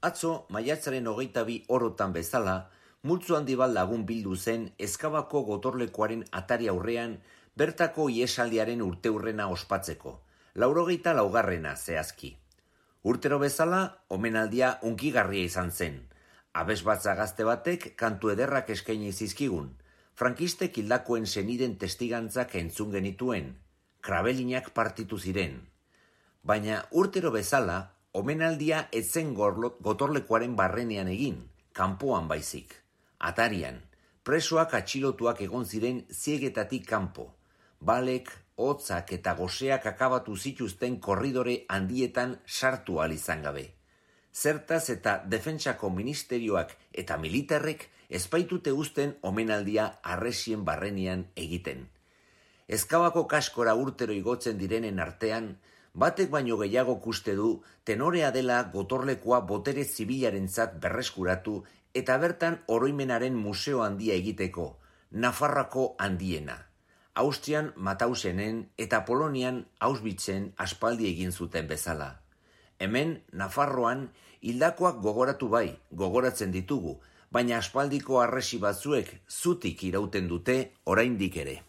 Atzo, maiatzaren 22 orotan bezala, multzo handi bat lagun bildu zen Ezkabako gotorlekuaren atari aurrean bertako iesaldiaren urteurrena ospatzeko, 84. zehazki. Urtero bezala, omenaldia hunkigarria izan zen. Abesbatza gazte batek kantu ederrak eskaini zizkigun, frankistek hildakoen seniden testigantzak entzun genituen, krabelinak partitu ziren. Baina urtero bezala, omenaldia etzen gotorlekuaren barrenean egin, kanpoan baizik. Atarian, presoak atxilotuak egon ziren ziegetatik kanpo. Balek, hotzak eta goseak akabatu zituzten korridore handietan sartu ahal izan gabe. Zertaz eta defentsako ministerioak eta militarrek ezpaitute uzten omenaldia arresien barrenean egiten. Ezkabako kaskora urtero igotzen direnen artean, batek baino gehiago uste du tenorea dela gotorlekua botere zibilarentzat berreskuratu eta bertan oroimenaren museo handia egiteko, Nafarroako handiena. Austrian Matausenen eta Polonian Auschwitzen aspaldi egin zuten bezala. Hemen, Nafarroan, hildakoak gogoratu bai, gogoratzen ditugu, baina aspaldiko harresi batzuek zutik irauten dute oraindik ere.